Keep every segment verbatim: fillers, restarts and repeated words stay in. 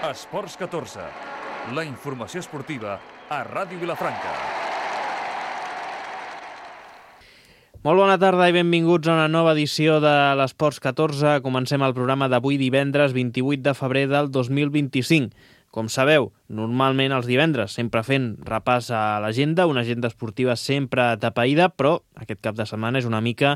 Esports catorze, la informació esportiva a Ràdio Vilafranca. Molt bona tarda i benvinguts a una nova edició de l'Esports catorze. Comencem el programa d'avui divendres vint-i-vuit de febrer del dos mil vint-i-cinc. Com sabeu, normalment els divendres, sempre fent repàs a l'agenda, una agenda esportiva sempre atapeïda, però aquest cap de setmana és una mica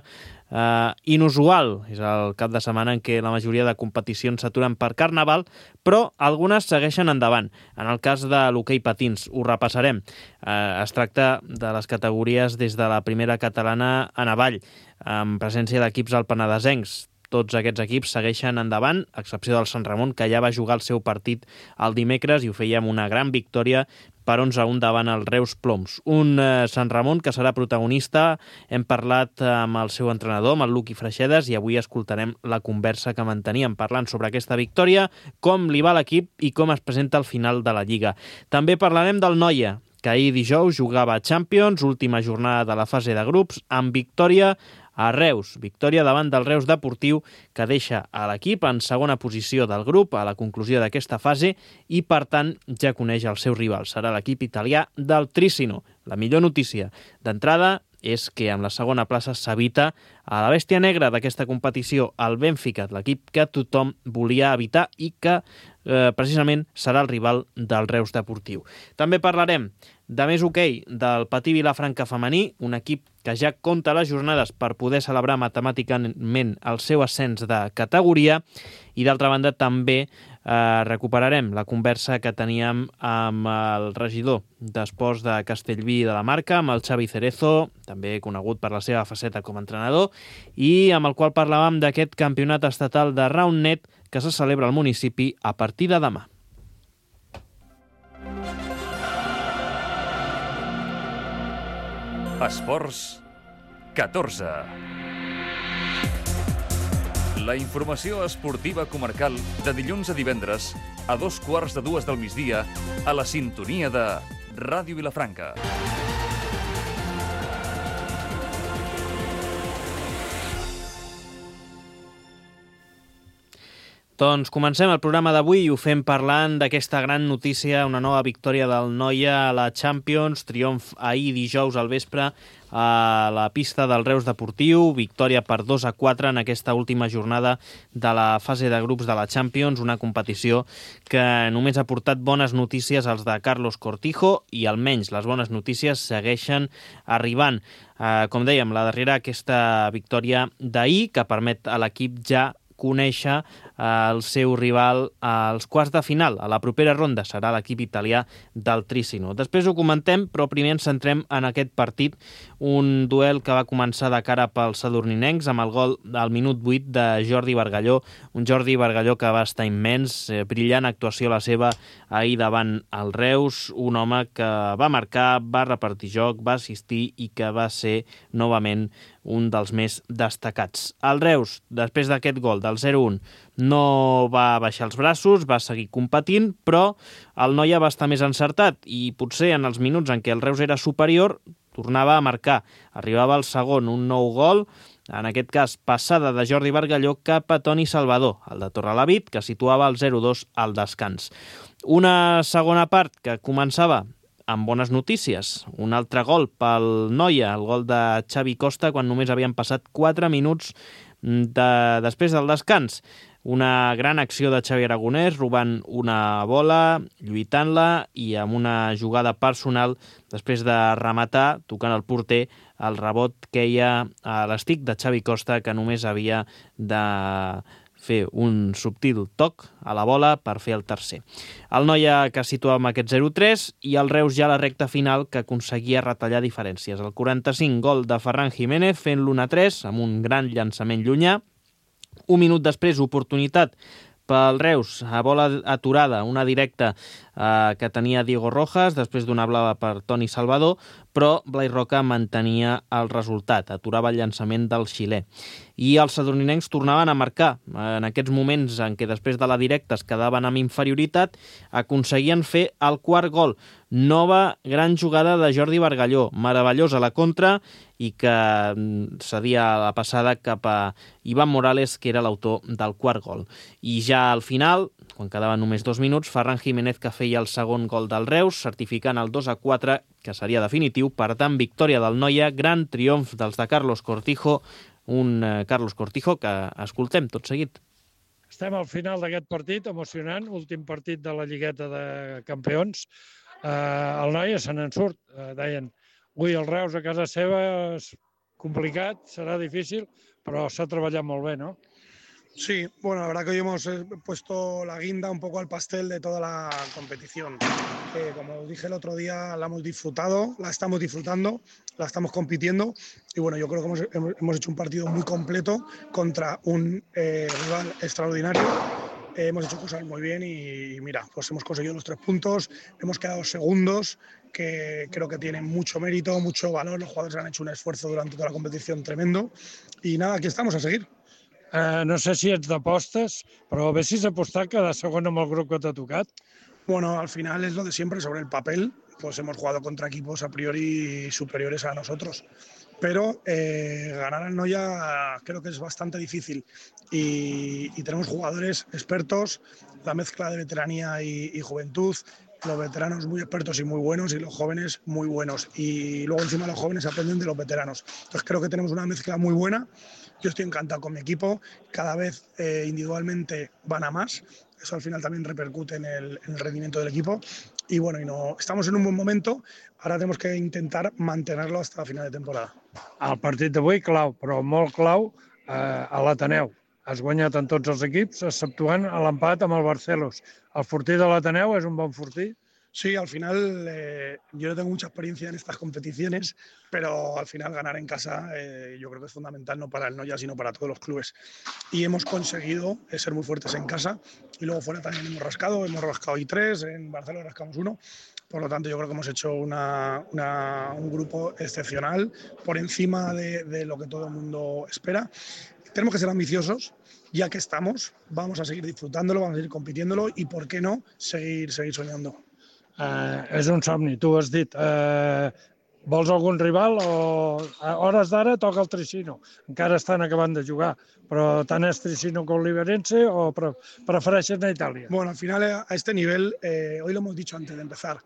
eh, inusual. És el cap de setmana en què la majoria de competicions s'aturen per Carnaval, però algunes segueixen endavant. En el cas de l'hoquei patins, ho repassarem. Eh, es tracta de les categories des de la primera catalana en avall, amb presència d'equips alpenadesencs. Tots aquests equips segueixen endavant, a excepció del Sant Ramon, que ja va jugar el seu partit el dimecres i ho feia amb una gran victòria per onze a un davant el Reus Ploms. Un eh, Sant Ramon que serà protagonista. Hem parlat amb el seu entrenador, amb el Luqui Freixedes, i avui escoltarem la conversa que manteníem parlant sobre aquesta victòria, com li va a l'equip i com es presenta al final de la Lliga. També parlarem del Noia, que ahir dijous jugava a Champions, última jornada de la fase de grups, amb victòria a Reus. Victòria davant del Reus Deportiu, que deixa a l'equip en segona posició del grup a la conclusió d'aquesta fase i, per tant, ja coneix el seu rival. Serà l'equip italià del Trissino. La millor notícia d'entrada és que amb la segona plaça s'evita a la bèstia negra d'aquesta competició, el Benfica, l'equip que tothom volia evitar i que eh, precisament serà el rival del Reus Deportiu. També parlarem de més hoquei del Patí Vilafranca femení, un equip que ja compta les jornades per poder celebrar matemàticament el seu ascens de categoria, i d'altra banda també eh, recuperarem la conversa que teníem amb el regidor d'Esports de Castellví de la Marca, amb el Xavi Cerezo, també conegut per la seva faceta com a entrenador, i amb el qual parlàvem d'aquest campionat estatal de Roundnet que se celebra al municipi a partir de demà. Esports catorze. La informació esportiva comarcal de dilluns a divendres a dos quarts de dues del migdia a la sintonia de Ràdio Vilafranca. Doncs comencem el programa d'avui i ho fem parlant d'aquesta gran notícia, una nova victòria del Noia a la Champions, triomf ahir dijous al vespre a la pista del Reus Deportiu, victòria per dos a quatre en aquesta última jornada de la fase de grups de la Champions, una competició que només ha portat bones notícies als de Carlos Cortijo i almenys les bones notícies segueixen arribant. Eh, com dèiem, la darrera aquesta victòria d'ahir que permet a l'equip ja conèixer el seu rival als quarts de final. A la propera ronda serà l'equip italià del Trissino. Després ho comentem, però primer ens centrem en aquest partit, un duel que va començar de cara pels sadurninencs amb el gol al minut vuit de Jordi Bargalló, un Jordi Bargalló que va estar immens, eh, brillant actuació la seva ahir davant el Reus, un home que va marcar, va repartir joc, va assistir i que va ser novament un dels més destacats. El Reus, després d'aquest gol del zero a un, no va baixar els braços, va seguir competint, però el Noia va estar més encertat i potser en els minuts en què el Reus era superior tornava a marcar. Arribava el segon, un nou gol, en aquest cas passada de Jordi Bargalló cap a Toni Salvador, el de Torrelavit, que situava el zero a dos al descans. Una segona part que començava amb bones notícies. Un altre gol pel Noia, el gol de Xavi Costa, quan només havien passat quatre minuts de, després del descans. Una gran acció de Xavi Aragonès, robant una bola, lluitant-la i amb una jugada personal, després de rematar, tocant el porter, el rebot queia a l'estic de Xavi Costa, que només havia de fer un subtil toc a la bola per fer el tercer. El Noia que situava amb aquest zero a tres i el Reus ja a la recta final que aconseguia retallar diferències. El quaranta-cinc, gol de Ferran Jiménez fent l'u a tres amb un gran llançament llunyà. Un minut després, oportunitat pel Reus, a bola aturada, una directa eh, que tenia Diego Rojas, després d'una blava per Toni Salvador, però Blai Roca mantenia el resultat, aturava el llançament del xilè. I els sadurninencs tornaven a marcar. En aquests moments en què després de la directa es quedaven amb inferioritat, aconseguien fer el quart gol. Nova gran jugada de Jordi Bargalló, meravellosa la contra, i que cedia la passada cap a Ivan Morales, que era l'autor del quart gol. I ja al final, quan quedaven només dos minuts, Ferran Jiménez que feia el segon gol del Reus, certificant el dos a quatre, que seria definitiu. Per tant, victòria del Noia, gran triomf dels de Carlos Cortijo, un eh, Carlos Cortijo que escoltem tot seguit. Estem al final d'aquest partit, emocionant, últim partit de la Lligueta de Campions. Eh, el Noia se n'en surt, eh, deien, ui, el Reus a casa seva és complicat, serà difícil, però s'ha treballat molt bé, no? Sí, bueno, la verdad que hoy hemos puesto la guinda un poco al pastel de toda la competición. Eh, como dije el otro día, la hemos disfrutado, la estamos disfrutando, la estamos compitiendo y bueno, yo creo que hemos, hemos hecho un partido muy completo contra un eh, rival extraordinario. Eh, hemos hecho cosas muy bien y, y mira, pues hemos conseguido los tres puntos, hemos quedado segundos, que creo que tienen mucho mérito, mucho valor, los jugadores han hecho un esfuerzo durante toda la competición tremendo y nada, aquí estamos a seguir. Eh, no sé si ets d'apostes, però vessis apostar cada segon amb el grup que t'ha tocat? Bueno, al final es lo de siempre, sobre el papel, pues hemos jugado contra equipos a priori superiores a nosotros. Pero eh, ganar al Noia creo que es bastante difícil y, y tenemos jugadores expertos, la mezcla de veteranía y, y juventud, los veteranos muy expertos y muy buenos y los jóvenes muy buenos. Y luego encima los jóvenes aprenden de los veteranos. Entonces creo que tenemos una mezcla muy buena. Yo estoy encantado con mi equipo, cada vez eh, individualmente van a más, eso al final también repercute en el, en el rendimiento del equipo y bueno, y no, estamos en un buen momento, ahora tenemos que intentar mantenerlo hasta final de temporada. El partit d'avui clau, però molt clau eh, a l'Ateneu. Has guanyat en tots els equips, exceptuant l'empat amb el Barcelos. El fortí de l'Ateneu és un bon fortí? Sí, al final eh, yo no tengo mucha experiencia en estas competiciones, pero al final ganar en casa eh, yo creo que es fundamental no para el Noia, sino para todos los clubes. Y hemos conseguido eh, ser muy fuertes en casa y luego fuera también hemos rascado, hemos rascado ahí tres, en Barcelona rascamos uno. Por lo tanto, yo creo que hemos hecho una, una, un grupo excepcional, por encima de, de lo que todo el mundo espera. Tenemos que ser ambiciosos, ya que estamos, vamos a seguir disfrutándolo, vamos a seguir compitiéndolo y, ¿por qué no?, seguir, seguir soñando. Uh, és un somni, tu has dit. Uh, vols algun rival o a hores d'ara toca el Tricino? Encara estan acabant de jugar, però tant és Tricino com Liberense o pre prefereixes a Itàlia? Bueno, al final a este nivel, eh, hoy lo hemos dicho antes de empezar,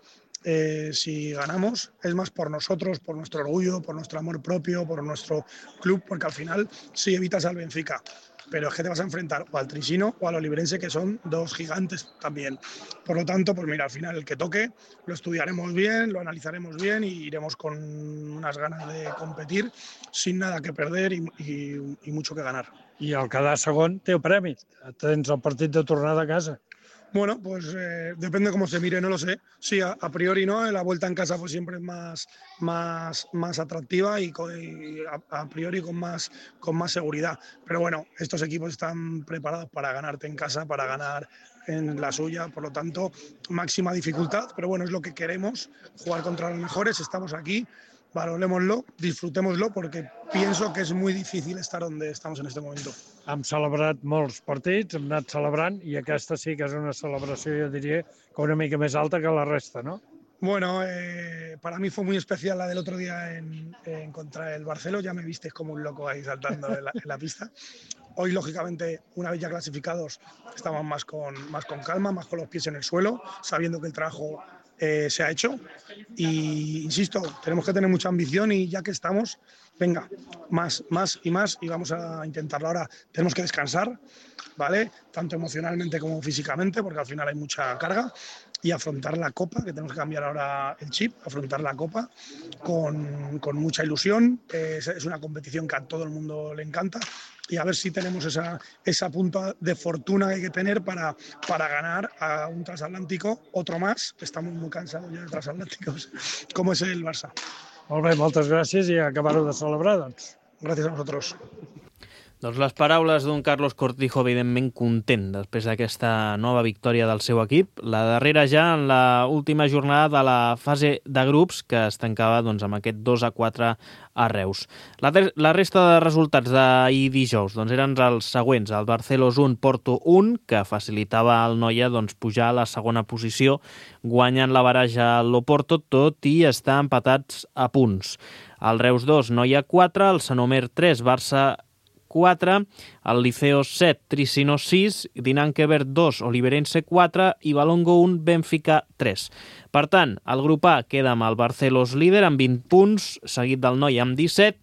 eh, si ganamos es más por nosotros, por nuestro orgullo, por nuestro amor propio, por nuestro club, porque al final sí evitas al Benfica, pero es que te vas a enfrentar o al Tricino o a los Liberense, que son dos gigantes también. Por lo tanto, pues mira, al final el que toque lo estudiaremos bien, lo analizaremos bien y iremos con unas ganas de competir sin nada que perder y, y, y mucho que ganar. I el quedar segon té el premi. Tens el partit de tornada a casa. Bueno, pues eh, depende cómo se mire, no lo sé. Sí, a, a priori no, la vuelta en casa pues siempre es más, más, más atractiva y, y a, a priori con más, con más seguridad. Pero bueno, estos equipos están preparados para ganarte en casa, para ganar en la suya, por lo tanto, máxima dificultad. Pero bueno, es lo que queremos, jugar contra los mejores, estamos aquí. Valorémoslo, disfrutémoslo, porque pienso que es muy difícil estar donde estamos en este momento. Hem celebrat molts partits, hem anat celebrant, i aquesta sí que és una celebració, jo diria, que una mica més alta que la resta, ¿no? Bueno, eh, para mí fue muy especial la del otro día en, en contra el Barceló, ya me visteis como un loco ahí saltando en la, en la pista. Hoy, lógicamente, una vez ya clasificados, estamos más con, más con calma, más con los pies en el suelo, sabiendo que el trabajo Eh, se ha hecho y, insisto, tenemos que tener mucha ambición y ya que estamos, venga, más, más y más y vamos a intentarlo. Ahora tenemos que descansar, ¿vale? Tanto emocionalmente como físicamente, porque al final hay mucha carga, y afrontar la Copa, que tenemos que cambiar ahora el chip, afrontar la Copa con, con mucha ilusión. Eh, es, es una competición que a todo el mundo le encanta y a ver si tenemos esa, esa punta de fortuna que hay que tener para, para ganar a un transatlántico, otro más, estamos muy cansados ya de transatlánticos, como es el Barça. Molt bé, moltes gràcies i acabar-ho de celebrar, doncs. Gràcies a vosaltres. Doncs les paraules d'un Carlos Cortijo evidentment content després d'aquesta nova victòria del seu equip. La darrera ja en la última jornada de la fase de grups que es tancava doncs, amb aquest dos a quatre a Reus. La, la resta de resultats d'ahir dijous doncs, eren els següents. El Barcelos un, Porto un, que facilitava al Noia doncs, pujar a la segona posició, guanyant la baraja a l'Oporto, tot i estar empatats a punts. El Reus dos, Noia quatre, el Sanomer tres, Barça quatre, el Liceo set, Tricino sis, Dinanquever dos, Oliverense quatre i Balongo un, Benfica tres. Per tant, el grup A queda amb el Barcelos líder amb vint punts, seguit del Noia amb disset,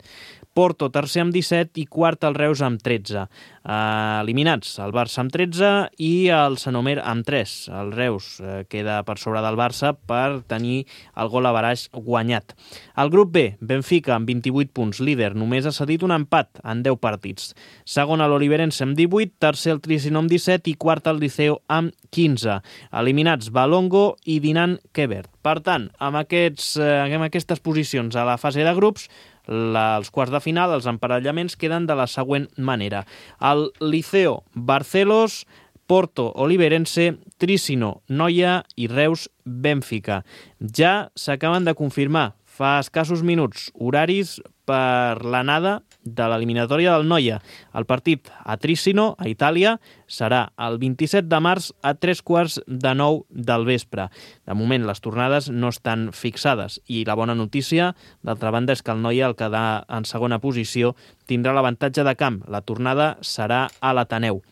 Porto tercer amb disset i quart el Reus amb tretze. Uh, eliminats el Barça amb tretze i el Sanomer amb tres. El Reus uh, queda per sobre del Barça per tenir el gol a baraix guanyat. El grup B, Benfica amb vint-i-vuit punts, líder, només ha cedit un empat en deu partits. Segon l'Oliverense amb divuit, tercer el Tricino amb disset i quart el Liceo amb quinze. Eliminats Balongo i Dinanquever. Per tant, amb, aquests, uh, amb aquestes posicions a la fase de grups, La, els quarts de final, els emparellaments queden de la següent manera. El Liceo, Barcelos, Porto, Oliverense, Tricino, Noia i Reus, Benfica. Ja s'acaben de confirmar fa escassos minuts horaris per l'anada de l'eliminatòria del Noia. El partit a Tricino, a Itàlia, serà el vint-i-set de març a tres quarts de nou del vespre. De moment, les tornades no estan fixades i la bona notícia, d'altra banda, és que el Noia, el quedar en segona posició, tindrà l'avantatge de camp. La tornada serà a l'Ateneu.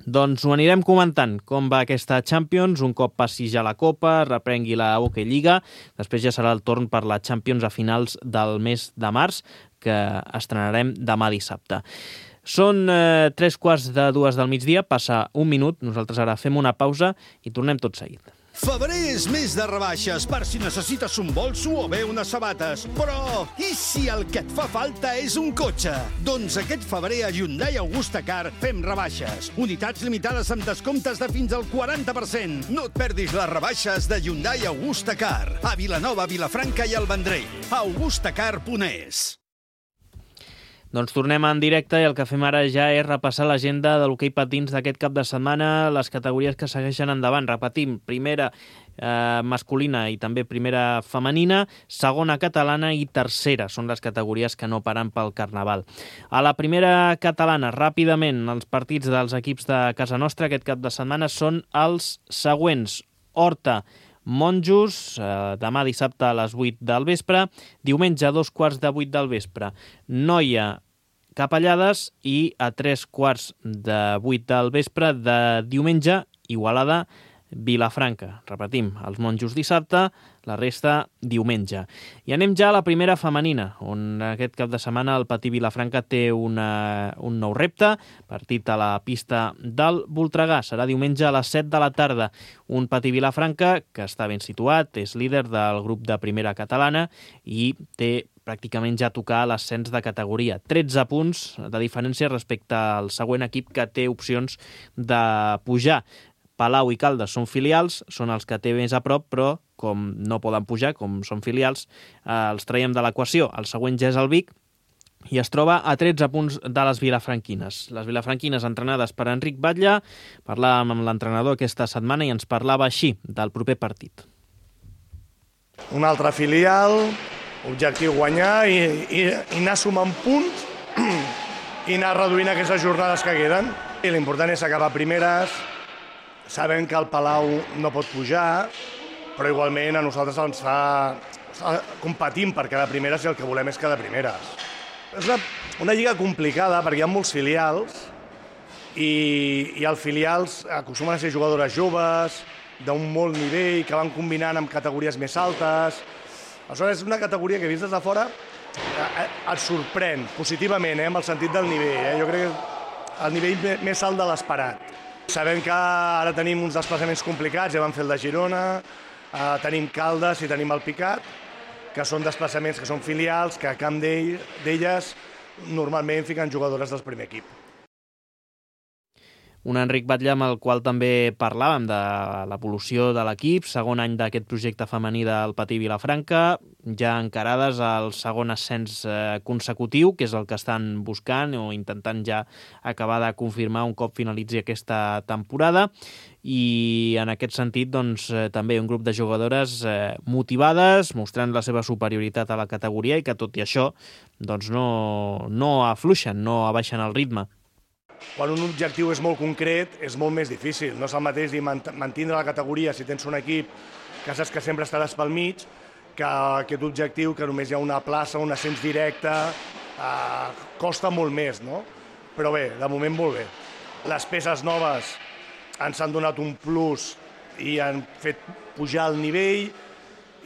Doncs ho anirem comentant com va aquesta Champions, un cop passi ja la Copa, reprengui la Hockey Lliga, després ja serà el torn per la Champions a finals del mes de març, que estrenarem demà dissabte. Són eh, tres quarts de dues del migdia, passa un minut, nosaltres ara fem una pausa i tornem tot seguit. Febrer és mes de rebaixes per si necessites un bolso o bé unes sabates. Però i si el que et fa falta és un cotxe? Doncs aquest febrer a Hyundai Augusta Car fem rebaixes. Unitats limitades amb descomptes de fins al quaranta per cent. No et perdis les rebaixes de Hyundai Augusta Car a Vilanova, Vilafranca i el Vendrell. augustacar punt es. Doncs tornem en directe i el que fem ara ja és repassar l'agenda de l'hoquei patins d'aquest cap de setmana, les categories que segueixen endavant. Repetim, primera eh, masculina i també primera femenina, segona catalana i tercera. Són les categories que no paren pel Carnaval. A la primera catalana, ràpidament, els partits dels equips de casa nostra aquest cap de setmana són els següents. Horta, Monjos, eh, demà dissabte a les vuit del vespre, diumenge a dos quarts de vuit del vespre. Noia, Capellades i a tres quarts de vuit del vespre de diumenge, Igualada, Vilafranca. Repetim, els Monjos dissabte, la resta diumenge. I anem ja a la primera femenina, on aquest cap de setmana el Patí Vilafranca té una, un nou repte, partit a la pista del Voltregà. Serà diumenge a les set de la tarda. Un Patí Vilafranca que està ben situat, és líder del grup de primera catalana i té pràcticament ja tocar l'ascens de categoria. tretze punts de diferència respecte al següent equip que té opcions de pujar. Palau i Caldes són filials, són els que té més a prop, però com no poden pujar, com són filials, eh, els traiem de l'equació. El següent ja és el Vic i es troba a tretze punts de les vilafranquines. Les vilafranquines entrenades per Enric Batlle. Parlàvem amb l'entrenador aquesta setmana i ens parlava així del proper partit. Un altre filial, objectiu guanyar i, i, i anar sumant punts i anar reduint aquestes jornades que queden. I l'important és acabar primeres. Sabem que el Palau no pot pujar, però igualment a nosaltres ens fa... competim per quedar primeres i el que volem és quedar primeres. És una, una lliga complicada perquè hi ha molts filials i, i els filials acostumen a ser jugadores joves, d'un molt nivell, que van combinant amb categories més altes. Aleshores, és una categoria que vist des de fora et sorprèn positivament, eh, amb el sentit del nivell. Eh? Jo crec que el nivell més alt de l'esperat. Sabem que ara tenim uns desplaçaments complicats, ja vam fer el de Girona, eh, tenim Caldes i tenim el Picat, que són desplaçaments que són filials, que a camp d'elles normalment fiquen jugadores del primer equip. Un Enric Batlle amb el qual també parlàvem de l'evolució de l'equip, segon any d'aquest projecte femení del Patí Vilafranca, ja encarades al segon ascens consecutiu, que és el que estan buscant o intentant ja acabar de confirmar un cop finalitzi aquesta temporada. I en aquest sentit doncs, també un grup de jugadores eh, motivades, mostrant la seva superioritat a la categoria i que tot i això doncs, no, no afluixen, no abaixen el ritme. Quan un objectiu és molt concret, és molt més difícil. No és el mateix dir mantindre la categoria si tens un equip que saps que sempre estaràs pel mig, que aquest objectiu que només hi ha una plaça, un ascens directe, eh, costa molt més, no? Però bé, de moment molt bé. Les peces noves ens han donat un plus i han fet pujar el nivell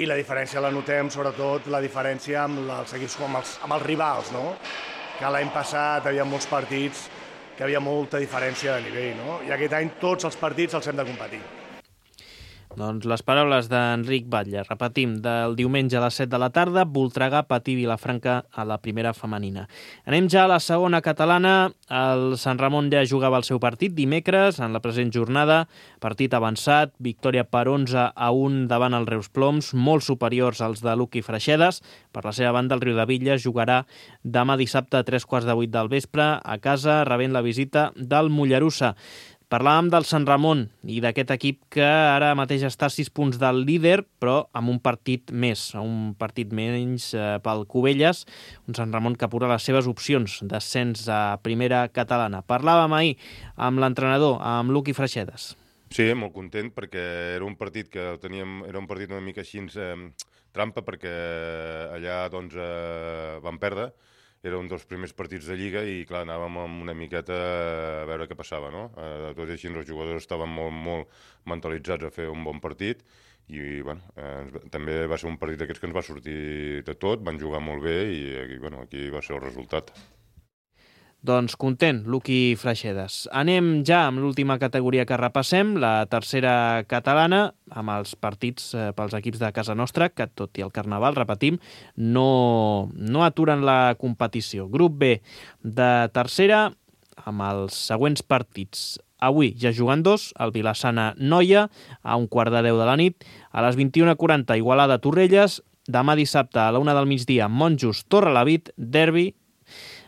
i la diferència la notem, sobretot la diferència amb els equips, amb els, amb els rivals, no? Que l'any passat hi havia molts partits que hi havia molta diferència de nivell, no? I aquest any tots els partits els hem de competir. Doncs les paraules d'Enric Batlle. Repetim, del diumenge a les set de la tarda, Voltregà, Patí Vilafranca a la primera femenina. Anem ja a la segona catalana. El Sant Ramon ja jugava el seu partit dimecres, en la present jornada. Partit avançat, victòria per onze a un davant el Reus Ploms, molt superiors als de Luqui Freixedes. Per la seva banda, el Riudebitlles jugarà demà dissabte a tres quarts de vuit del vespre a casa, rebent la visita del Mollerussa. Parlàvem del Sant Ramon i d'aquest equip que ara mateix està a sis punts del líder, però amb un partit més, un partit menys eh, pel Cubelles, un Sant Ramon que apura les seves opcions d'ascens a primera catalana. Parlàvem ahir amb l'entrenador, amb Luqui Freixedes. Sí, molt content perquè era un partit que teníem, era un partit una mica així eh, trampa perquè allà doncs eh, vam perdre. Era un dels primers partits de Lliga i, clar, anàvem amb una miqueta a veure què passava, no? Eh, tot i així, els jugadors estaven molt, molt mentalitzats a fer un bon partit i, bueno, eh, també va ser un partit d'aquests que ens va sortir de tot, van jugar molt bé i, i bueno, aquí va ser el resultat. Doncs content, Luqui Freixedes. Anem ja amb l'última categoria que repassem, la tercera catalana, amb els partits eh, pels equips de casa nostra, que tot i el Carnaval, repetim, no, no aturen la competició. Grup B de tercera, amb els següents partits. Avui ja jugant dos, el Vilassana-Noia, a un quart de deu de la nit, a les vint-i-una quaranta Igualada-Torrelles, demà dissabte a la una del migdia, Monjos-Torrelavit, derbi.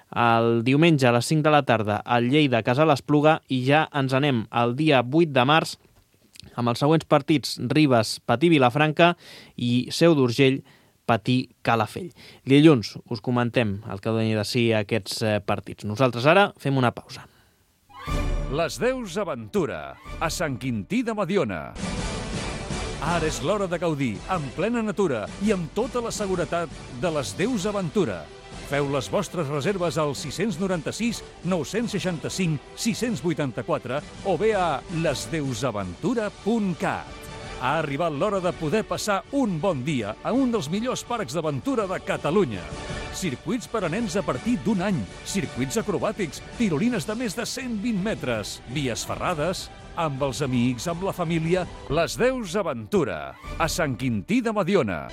El diumenge a les cinc de la tarda al Lleida Casa l'Espluga i ja ens anem al dia vuit de març amb els següents partits: Ribes, Patí Vilafranca i Seu d'Urgell, Patí Calafell. Dilluns us comentem el que doni de si aquests partits. Nosaltres ara fem una pausa. Les Deus Aventura, a Sant Quintí de Mediona. Ara és l'hora de gaudir, en plena natura i amb tota la seguretat de les Deus Aventura. Feu les vostres reserves al sis nou sis, nou sis cinc, sis vuit quatre o bé a les deus aventura punt cat. Ha arribat l'hora de poder passar un bon dia a un dels millors parcs d'aventura de Catalunya. Circuits per a nens a partir d'un any, circuits acrobàtics, tirolines de més de cent vint metres, vies ferrades, amb els amics, amb la família, les Deus Aventura, a Sant Quintí de Mediona.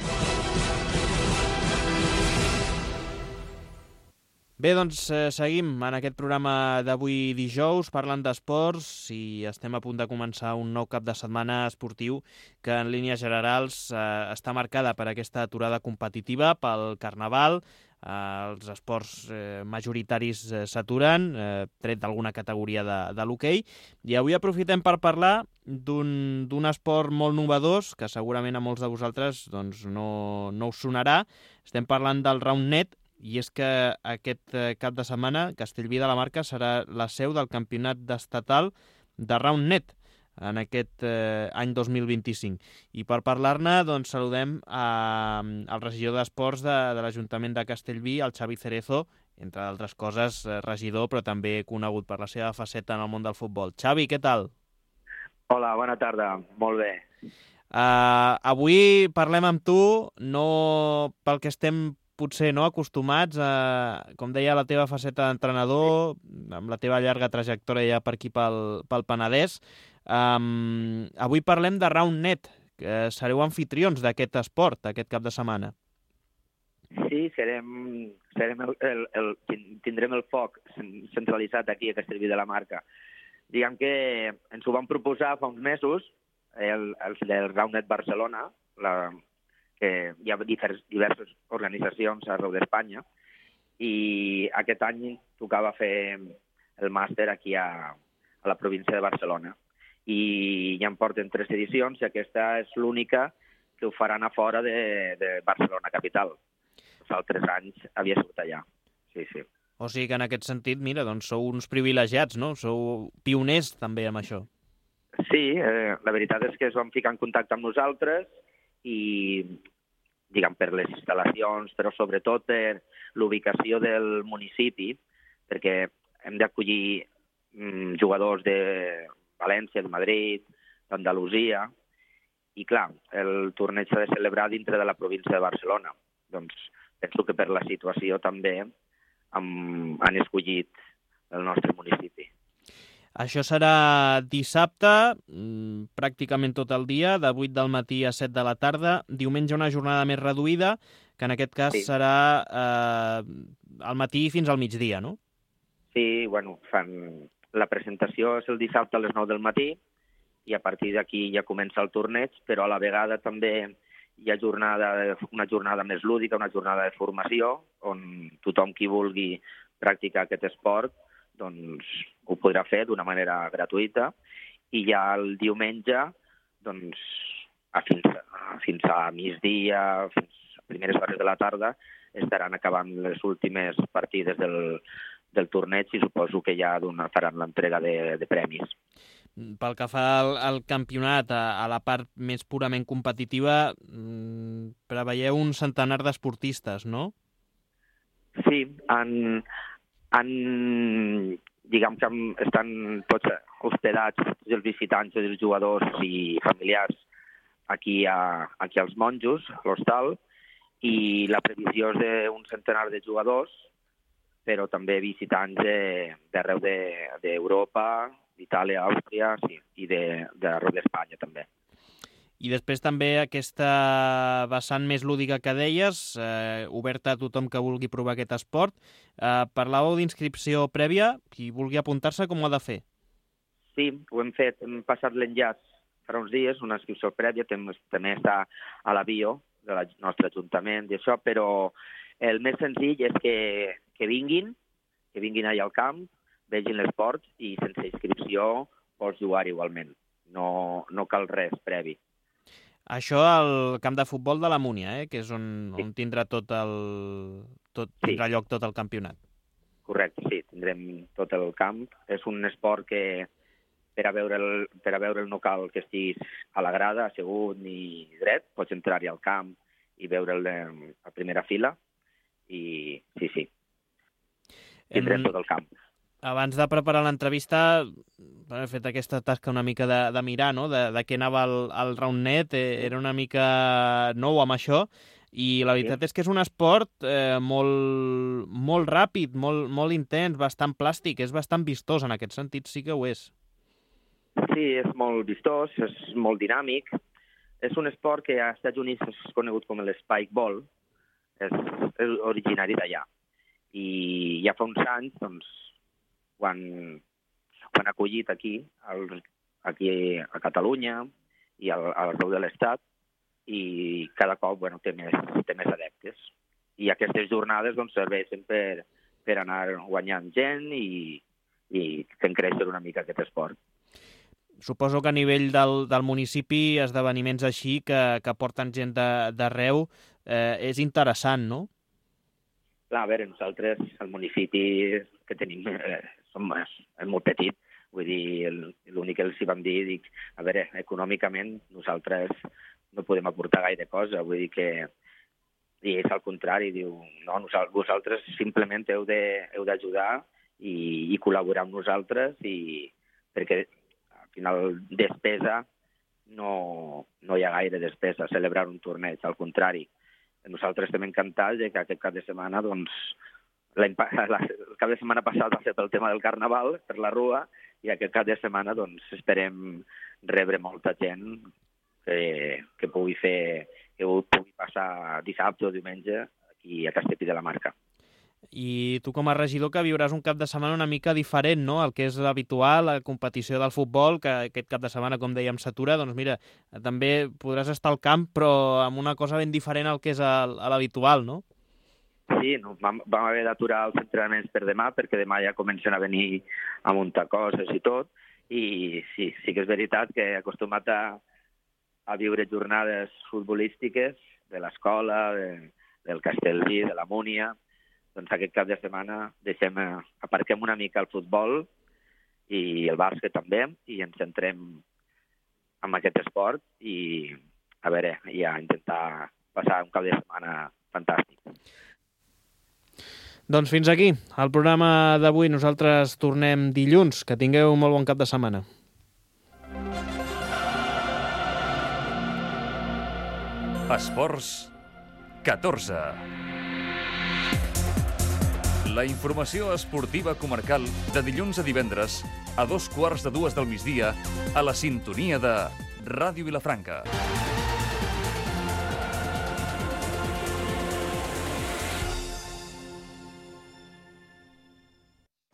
Bé, doncs eh, seguim en aquest programa d'avui dijous parlant d'esports i estem a punt de començar un nou cap de setmana esportiu que en línies generals eh, està marcada per aquesta aturada competitiva pel Carnaval. Eh, els esports eh, majoritaris eh, s'aturen, eh, tret d'alguna categoria de, de l'hoquei. I avui aprofitem per parlar d'un d'un esport molt novedós que segurament a molts de vosaltres doncs, no, no us sonarà. Estem parlant del Roundnet. I és que aquest cap de setmana Castellví de la Marca serà la seu del campionat estatal de Roundnet en aquest eh, any dos mil vint-i-cinc. I per parlar-ne doncs, saludem a, al regidor d'Esports de, de l'Ajuntament de Castellví, el Xavi Cerezo, entre d'altres coses regidor, però també conegut per la seva faceta en el món del futbol. Xavi, què tal? Hola, bona tarda. Molt bé. Uh, avui parlem amb tu, no pel que estem potser no acostumats a, com deia, la teva faceta d'entrenador, amb la teva llarga trajectòria ja per aquí pel, pel Penedès. Um, avui parlem de Roundnet, que sereu anfitrions d'aquest esport, aquest cap de setmana. Sí, serem, serem el, el, el, tindrem el foc centralitzat aquí a Castellví de la Marca. diguem que ens ho vam proposar fa uns mesos, el, el del Roundnet Barcelona, la, que hi ha divers, diverses organitzacions arreu d'Espanya, i aquest any tocava fer el màster aquí a, a la província de Barcelona. I ja en porten tres edicions i aquesta és l'única que ho faran a fora de, de Barcelona capital. Els altres anys havia sigut allà. Sí, sí. O sigui que en aquest sentit, mira, doncs sou uns privilegiats, no? Sou pioners també amb això. Sí, eh, la veritat és que es van ficar en contacte amb nosaltres i, diguem, per les instal·lacions, però sobretot per l'ubicació del municipi, perquè hem d'acollir mm, jugadors de València, de Madrid, d'Andalusia, i clar, el torneig s'ha de celebrar dintre de la província de Barcelona. Doncs penso que per la situació també han, han escollit el nostre municipi. Això serà dissabte, pràcticament tot el dia, de vuit del matí a set de la tarda. Diumenge una jornada més reduïda, que en aquest cas sí. serà eh, al matí fins al migdia, no? Sí, bueno, fan... la presentació és el dissabte a les nou del matí i a partir d'aquí ja comença el torneig, però a la vegada també hi ha jornada, una jornada més lúdica, una jornada de formació, on tothom qui vulgui practicar aquest esport doncs ho podrà fer d'una manera gratuïta, i ja el diumenge, doncs, a fins, a, fins a migdia, fins a primeres hores de la tarda, estaran acabant les últimes partides del, del torneig i suposo que ja faran l'entrega de, de premis. Pel que fa al, al campionat, a, a la part més purament competitiva, mmm, preveieu un centenar d'esportistes, no? Sí, han... han, diguem que estan tots hospedats, tots els visitants, els jugadors i familiars aquí, a, aquí als Monjos, a l'hostal, i la previsió és d'un centenar de jugadors, però també visitants d'arreu d'Europa, d'Itàlia, Àustria, sí, i d'arreu d'Espanya també. I després també aquesta vessant més lúdica que deies, eh, oberta a tothom que vulgui provar aquest esport. Eh, parlàveu d'inscripció prèvia, qui vulgui apuntar-se com ho ha de fer? Sí, ho hem fet, hem passat l'enllaç fa uns dies, una inscripció prèvia, també està a la bio del nostre ajuntament i això, però el més senzill és que, que vinguin, que vinguin allà al camp, vegin l'esport i sense inscripció pots jugar igualment. No, no cal res previ. Això al camp de futbol de la Múnia, eh? Que és on, sí. on tindrà tot el tot, tindrà sí. lloc tot el campionat. Correcte, sí, tindrem tot el camp. És un esport que per a veure el, per a veure el no cal que estiguis a la grada, assegut ni dret, pots entrar-hi al camp i veure'l a primera fila i sí, sí, tindrem en... tot el camp. Abans de preparar l'entrevista, he fet aquesta tasca una mica de, de mirar, no?, de, de què anava el, el Roundnet, eh, era una mica nou amb això, i la veritat sí. és que és un esport eh, molt, molt ràpid, molt, molt intens, bastant plàstic, és bastant vistós en aquest sentit, sí que ho és. Sí, és molt vistós, és molt dinàmic. És un esport que als Estats Units és conegut com l'Spikeball, és, és originari d'allà. I ja fa uns anys, doncs, quan ho han acollit aquí, al, aquí a Catalunya i al, al arreu de l'Estat, i cada cop bueno, té, més, té més adeptes. I aquestes jornades doncs, serveixen per, per anar guanyant gent i, i fent créixer una mica aquest esport. Suposo que a nivell del, del municipi, esdeveniments així que, que porten gent d'arreu, eh, és interessant, no? Clar, a veure, nosaltres, el municipi que tenim, eh, som, és molt petit, vull dir, l'únic que els hi vam dir, dic, a veure, econòmicament nosaltres no podem aportar gaire cosa, vull dir que, i és al contrari, diu, no, nosaltres, vosaltres simplement heu d'ajudar i, i col·laborar amb nosaltres, i, perquè al final despesa no, no hi ha gaire despesa, celebrar un torneig, al contrari. Nosaltres estem encantats que aquest cap de setmana, doncs, la, el cap de setmana passat va ser pel tema del Carnaval, per la Rua, i aquest cap de setmana, doncs, esperem rebre molta gent que, que pugui fer, que pugui passar dissabte o diumenge aquí a Castellví de la Marca. I tu com a regidor que viuràs un cap de setmana una mica diferent, no?, el que és l'habitual, la competició del futbol, que aquest cap de setmana, com dèiem, s'atura, doncs mira, també podràs estar al camp, però amb una cosa ben diferent al que és l'habitual, no? Sí, no, vam, vam haver d'aturar els entrenaments per demà, perquè demà ja comencen a venir a muntar coses i tot, i sí, sí que és veritat que he acostumat a, a viure jornades futbolístiques de l'escola, de, del Castellví, de la Múnia. Doncs aquest cap de setmana deixem, aparquem una mica el futbol i el bàsquet també, i ens centrem en aquest esport i, a veure, ja intentar passar un cap de setmana fantàstic. Doncs fins aquí el programa d'avui. Nosaltres tornem dilluns. Que tingueu un molt bon cap de setmana. Esports catorze. La informació esportiva comarcal de dilluns a divendres a dos quarts de dues del migdia a la sintonia de Ràdio Vilafranca.